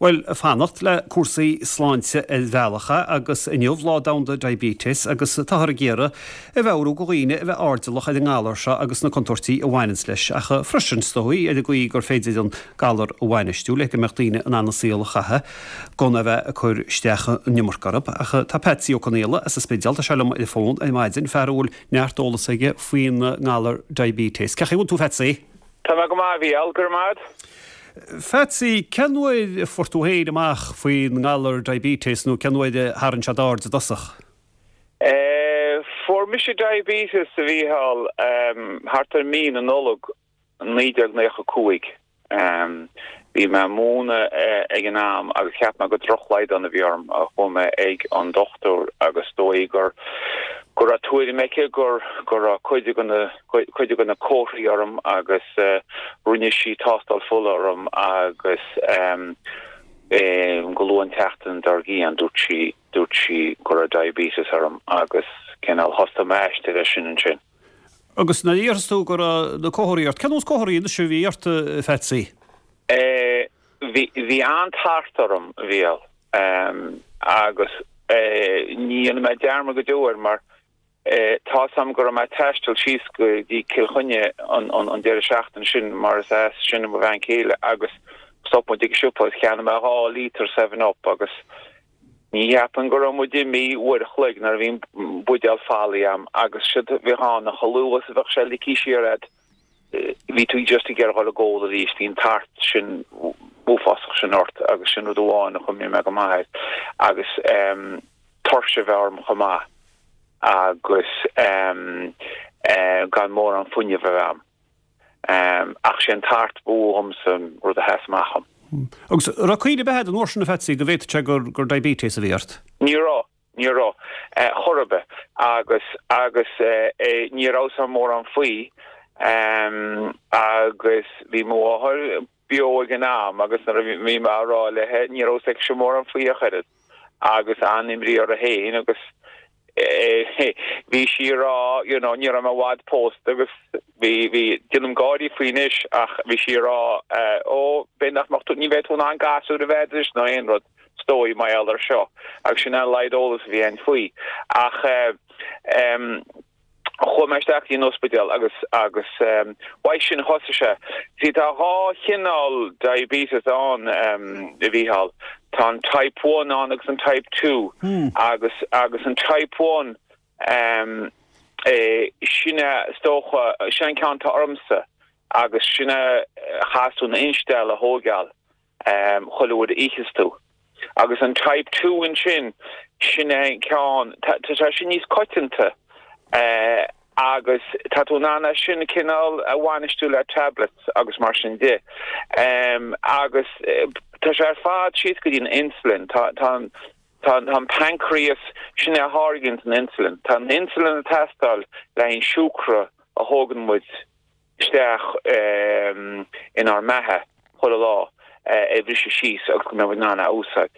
Bhuel, ag fanacht le cúrsaí sláinte ar bhealach agus inniu Lá Domhanda Diabetes agus táthar ag iarraidh a mheabhrú go dhaoine a bheith airdeallach ar an ngalar seo agus na contúirtí a bhaineanns leis ach freisin, is dóigh, ar an gcaoi gur féidir an galar a bhainistiú le go mbeadh daoine in ann a saol a chaitheamh gan é bheith ag cur isteach an iomarca orthu. Ach tá Patsy Ó Conaola as an Spidéal, tá sé liom ar an bhfón ar maidin, fear a bhfuil neart eolas aige faoin ngalar diabetes. Cén chaoi a bhfuil tú, Phatsy? Tá mé go maith, a Mhícheáil, go raibh maith agat. Phatsy, cén uair a fuair tú féin amach faoin ngalar diabetes nó cén uair a tharraing sé d'aird i dtosach? Fuair mise diabetes, a Mhícheáil, thart ar mí na Nollag 1995. Bhí mé ag múineadh ag an am agus cheap mé gur drochshlaghdán a bhí orm. Chuaigh mé ag an dochtúir agus is dóigh gur go raibh tuairim aici gur go raibh cuid de na cuid de na comharthaí orm agus rinne sí tástáil fola orm agus go luath an tseachtain dár gcionn dúirt sí dúirt sí go raibh diabetes orm agus cineál thosaigh m'aistear leis sin ansin. Agus nuair a déarfas tú go raibh na comharthaí ort, cén nós comharthaí anois a bhí ort, a Phatsy? Bhí bhí an-tart orm, a Mhícheáil, agus ní dhéanfaidh mé dearmad go deo air mar Tá 's a'm go raibh mé ag taisteal síos go dtí Cill Chainnigh an deireadh seachtaine sin mar is as sin mo bhean chéile agus stop muid ag siopa agus cheannaigh mé 2 lítear Seven Up agus ní cheapaim go raibh muid imithe uair a chloig nuair a bhí an buidéal folaithe a'm agus séard a bhíodh ann chomh luath is a bheadh sé ligthe siar a'd bhí tú just ag iarraidh dhul ag ól arís, bhí an tart sin uafásach sin ort agus sin rud amháin a chuimhníonn mé go maith air agus tuirse a bheith orm chomh maith agus gan mórán fuinnimh a bheith a'm. Ach sé an tart ba mhó dhomsa an rud a sheas amach dhom. Agus an raibh cuimhne ar bith a'd an uair sin a Phatsy go bhféadfadh sé gur diabetes a bhí ort? Ní raibh, ní raibh, chor ar bith. Agus, agus ní raibh 's a'm mórán faoi. Agus bhí mo mháthair beo ag an am agus nuair a bhí mé á rá léi ní raibh 's aici mórán faoi ach oiread agus an-imní uirthi féin agus bhí sí ag rá you know ní raibh mé i bhfad pósta agus bhí bhí déanaim gáirí faoi anois ach bhí sí ag rá ó b'fhéidir nach mbeadh tú ní bheidh tú in ann gasúr a bheith agat nó aon rud is dóigh mar gheall air seo agus sin an laghad eolas a bhí againn faoi ach eh Chuaigh mé isteach go dtí an ospidéal agus agus uaidh sin thosaigh sé. See tá dhá chineál diabetes ann a Mhícheáil. Tá an type one ann agus an type two agus agus an type one sin é is dócha sin an ceann atá ormsa agus sin é a chaithfeas tú an insteall a thóigeáil. chuile uair a itheas tú. Agus an Type 2 ansin, sin é an ceann, tá sé sin níos coitianta agus tá tú in ann é sin cineál a bhainistiú le tablets agus mar sin de. Agus tá sé ar fad síos go dtí an insulin, tá tá tá an pancreas, sin é a tháirgeann an insulin. Tá an insulin ag teastáil le haghaidh an siúcra a thógann muid isteach inár mbeatha chuile lá a bhriseadh síos agus go mbeidh muid in ann é a úsáid.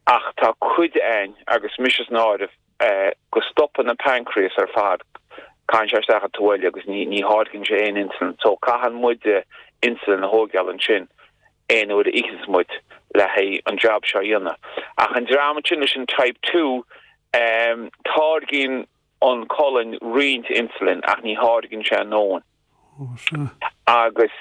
Ach tá cuid againn, agus mise san áireamh, go stopann an pancreas ar fad, caitheann sé isteach an taobh eile agus ní tháirgeann sé aon insulin. So caitheann muide insulin a thóigeáil ansin aon uair a itheanns muid le haghaidh an jab seo a dhéanamh. Ach an dream ansin leis an type 2, táirgíonn an colainn roinnt insulin ach ní tháirgeann sé a ndóthain. Agus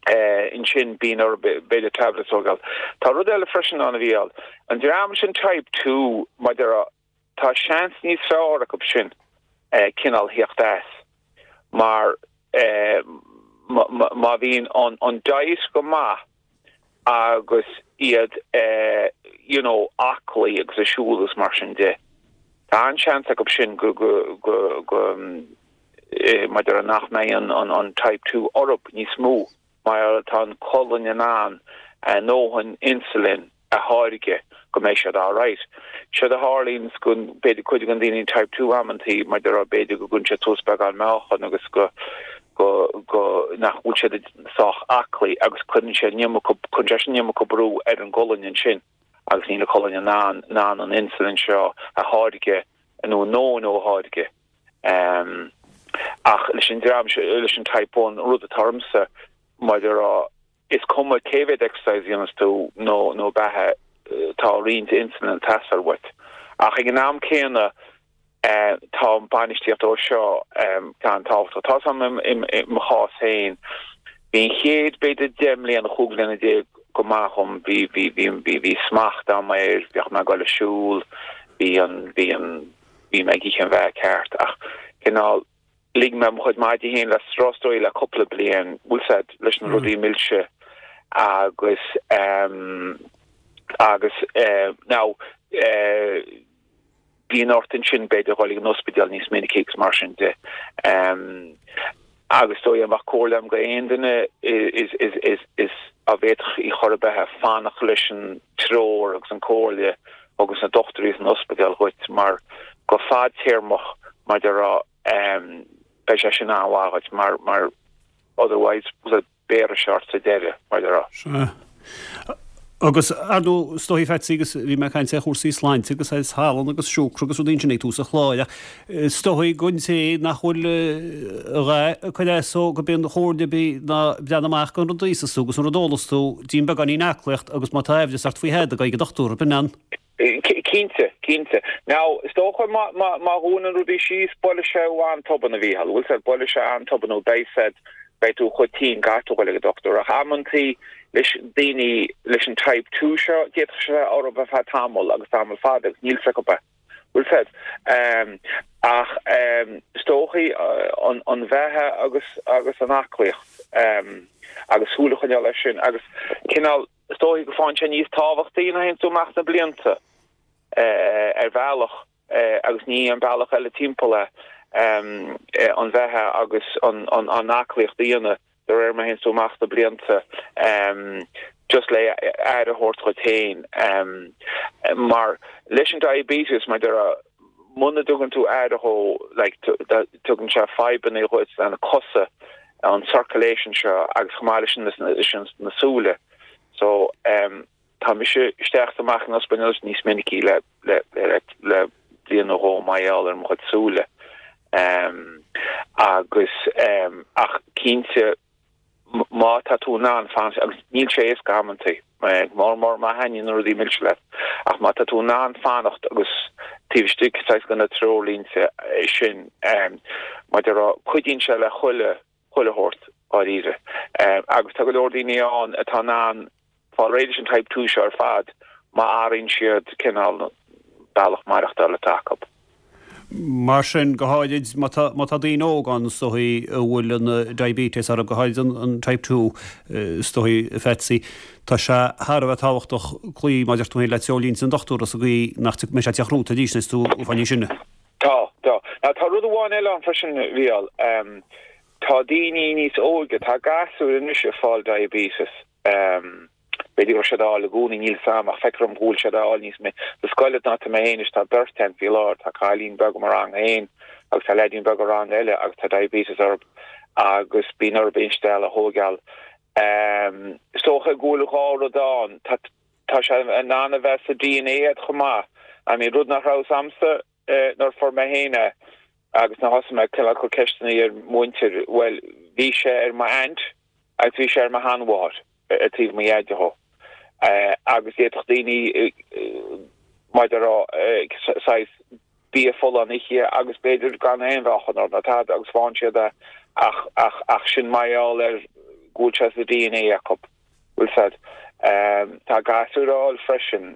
ansin bíonn orthu b'fhéidir tablets a thógáil. Tá rud eile freisin ann a Mhícheáil. An dream sin type 2 maidir tá seans níos fearr acu sin cineál theacht as mar má bhíonn an diet go maith agus iad you know aclaí agus ag siúl agus mar sin de. Tá an-seans acu sin go go go go maidir nach mbeidh an an an type 2 orthu níos mó mar tá an colainn in ann a ndóthain insulin a tháirgeadh go mbeidh siad alright. Séard a tharlaíonns go b'fhéidir cuid de na daoine type 2 amantaí mar déarfá b'fhéidir go gcuireann siad suas beagán meáchan agus go go go nach bhfuil siad sách aclaí agus cuireann sé an iomarca cuireann sé sin an iomarca brú ar an gcolainn ansin agus níl an colainn in ann in ann an insulin seo a tháirgeadh nó a ndóthain a tháirgeadh. Ach leis an dream seo leis an type 1 rud atá ormsa mar déarfá. Is cuma cé mhéad exercise a dhéanas tú nó nó beatha, tá roinnt insulin ag teastáil uait. Ach ag an am céanna, tá an bainistíocht dó seo an-tábhachtach. Tá 'fhios a'm i mo chás féin, bhí an chéad b'fhéidir 10 mbliana, 15 bhliana go maith dhom, bhí bhí bhí bhí bhí smacht a'm air, bhíodh mé ag dul ag siúl, bhí an bhí an bhí mé ag ithe an bheatha ceart ach cineál lig mé mo chuid maidí féin le strus is dóigh le cúpla bliain, bhfuil 's a'd, leis na rudaí milse agus agus now bíonn ort ansin b'fhéidir dhul ag an ospidéal níos minicí agus mar sin de. Agus is dóigh dá mbeadh comhairle a'm go aon duine is is is is dá bhféadfadh í chor ar bith fanacht leis an treoir agus an comhairle agus na dochtúirí san ospidéal dhuit mar go fadtéarmach mar a déarfá beidh sé sin an-mhaith dhuit mar mar otherwise béarfaidh sé ort sa deireadh mar a déarfá. Sea. Agus ar ndóigh is dóigh Phatsy agus bhí mé ag caint ar chúrsaí sláinte agus ar salann agus siúcra agus rudaí ansin ag tús an chláir ach is dóigh don té nach bhfuil a dhath ag cur as dó gurb é an chomhairle a bhí ná breathnaigh amach don rud a íosas tú agus an rud a ólas tú, déan beagáinín aclaíocht agus má tá aimhleas ort faoi thada, gabh ag an dochtúir, ab in an? Cinnte, cinnte. Now, is dócha má, má, má dhúnann rudaí síos, buailfidh sé thú an-tobann, a Mhícheáil. Bhfuil 's a'd, buailfidh sé an-tobann nó beidh 's a'd, beidh tú chomh tinn, caithfidh tú dhul ag an dochtúir. Ach amantaí leis daoine leis an type 2 seo, d'fhéadfadh sé bheith orthu ar feadh tamall agus tamall fada agus níl 's acu é. Bhfuil 's a'd. Ach is dóichí an, an bheatha agus, agus an aclaíocht agus súil a choinneáil air sin agus cineál, Is dóichí go faigheann sé níos tábhachtaí nuair a théann tú amach sna blianta, ar bhealach, agus ní an bealach eile timpeall é, an bheatha agus an aclaíocht a dhéanamh de réir mar a théann tú amach sna blianta, just le aire a thabhairt dhuit féin. Mar leis an diabetes, mar a déarfá, muna dtugann tú aire dhó, like, tugann sé fadhbanna dhuit le na cosa, an circulation seo agus chomh maith leis sin na súile. So tá mise isteach is amach in ospidéal níos minicí le le le le bliain nó dhó mar gheall ar mo chuid súile. Agus ach cinnte má tá tú in ann fanacht, agus níl sé éasca amantaí, mór mór má thaitníonn na rudaí milse leat, ach má tá tú in ann fanacht agus taobh istigh saghas de na treoirlínte sin, mar a déarfá, cuidíonn sé le chuile, chuile shórt, dháiríre. Agus tá go leor daoine ann atá in ann fáil réidh leis an Type 2 seo ar fad má athraíonn siad cineál bealach maireachtála atá acu. Mar sin, go háirid má tá, má tá daoine óga ann is dóichí a bhfuil an diabetes orthu, go háirid an, an Type 2, is dóichí, a Phatsy, tá sé thar a bheith tábhachtach cloí, mar a deir tú féin, le treoirlínte an dochtúra sa gcaoi nach mbeidh sé ag teacht romhat arís nuair is tú fá níos sine. Tá, tá. Now tá rud amháin eile ann freisin, a Mhícheáil. Tá daoine níos óige, tá gasúir anois ag fáil diabetes. B'fhéidir go raibh siad á fháil i gcónaí, níl 'fhios a'm, ach feictear dom go bhfuil siad á fháil níos minicí. Sa scoil atá mé féin anois tá beirt ann faoi láthair, tá cailín beag i mo rang féin agus tá leaidín beag i rang eile agus tá diabetes orthu agus bíonn orthu instealladh a thóigeáil. Is dócha go bhfuil dhá rud ann, tá tá sé in ann a bheith sa DNA a'd chomh maith. I mean rud nach raibh 'fhios a'msa nuair a fuair mé féin é agus nuair a thosaigh mé ag cur ceisteanna ar mhuintir, bhuel bhí sé ar m'aint agus bhí sé ar mo sheanmháthair ar taobh mo dhaid dhó agus d'fhéadfadh daoine mar a déarfá saghas bia folláin a ithe agus b'fhéidir gan aon mheáchan orthu ná tada agus faigheann siad é ach ach ach sin mar gheall ar go bhfuil sé sa DNA acu. Bhfuil 's a'd. Tá gasúir á fháil freisin.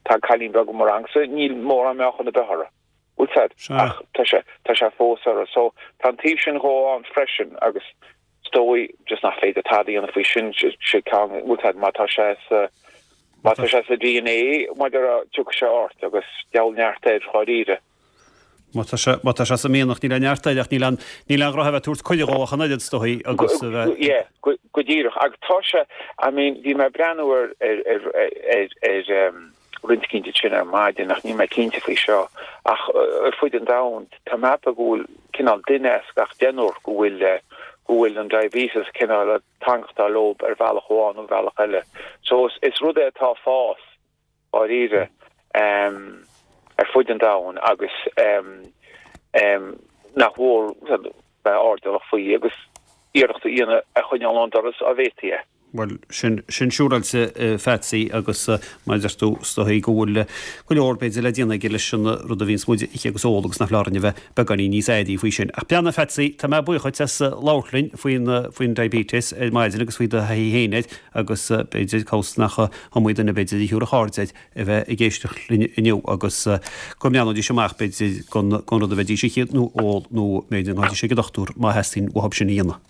Tá cailín beag i mo rangsa, níl mórán meáchan ar bith uirthi. Bhfuil 's a'd, ach tá sé, tá sé fós uirthi. So, tá an taobh sin dhó ann freisin agus is dóigh just nach féidir tada a dhéanamh faoi sin, sé ceann, bhfuil 's a'd, má tá sé sa, má tá sé sa DNA, mar a déarfá, tiocfaidh sé ort agus deabhal neart air dháiríre. Má tá sé, má tá sé sa mhianach, níl aon neart air ach níl aon, níl aon ghnó a bheith ag tabhairt cuireadh dhó ach an oiread, is dóigh, agus a bheith. Yeah, go, go díreach. Agus tá sé, I mean, bhí mé ag breathnú ar, ar, ar, ar, ar, ar, roinnt eicínt ansin ar maidin ach níl mé cinnte faoi seo ach ar fud an domhain tá mé ag ceapadh go bhfuil cineál duine as gach deichniúr go bhfuil go bhfuil an diabetes cineál ag teangachtáil leo ar bhealach amháin nó bealach eile. So is, is rud é atá ag fás dháiríre ar fud an domhain agus nach mhór bheith airdeallach faoi agus iarracht a dhéanamh a choinneáil ón doras á bhféadfaí é. Bhuel, sin, sin siúráilte, a Phatsy, agus mar a deir tú, is dóigh go bhfuil go leor, b'fhéidir, le déanamh aige leis an rud a bhíonns muid a ithe agus a ól agus nach foláir orainn a bheith beagáinín níos airí faoi sin. Ach breathnaigh, a Phatsy, tá mé buíoch dhuit as labhairt linn faoin, faoin diabetes ar maidin agus faoi do thaithí féin air agus b'fhéidir, cá bhfios nach iomaí duine, b'fhéidir, a thiúrfadh aird air a bheith ag éisteacht linn inniu agus go mbreathnóidís amach, b'fhéidir, don, don rud a bheidís ag ithe nó ól nó b'fhéidir go ngabhfaidís ag an dochtúir má theastaíonn uathub sin a dhéanamh.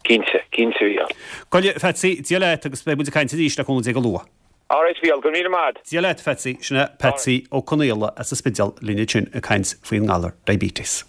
Cinnte, cinnte, a Mhícheáil. Go deimhin, a Phatsy, Dia leat agus beidh muid ag caint arís le cúnamh Dé go luath. Alright, a Mhícheáil, go raibh míle maith a'd. Dia leat, a Phatsy. Sin é Patsy Ó Conaola as an Spidéal linn ansin ag caint faoin ngalar diabetes.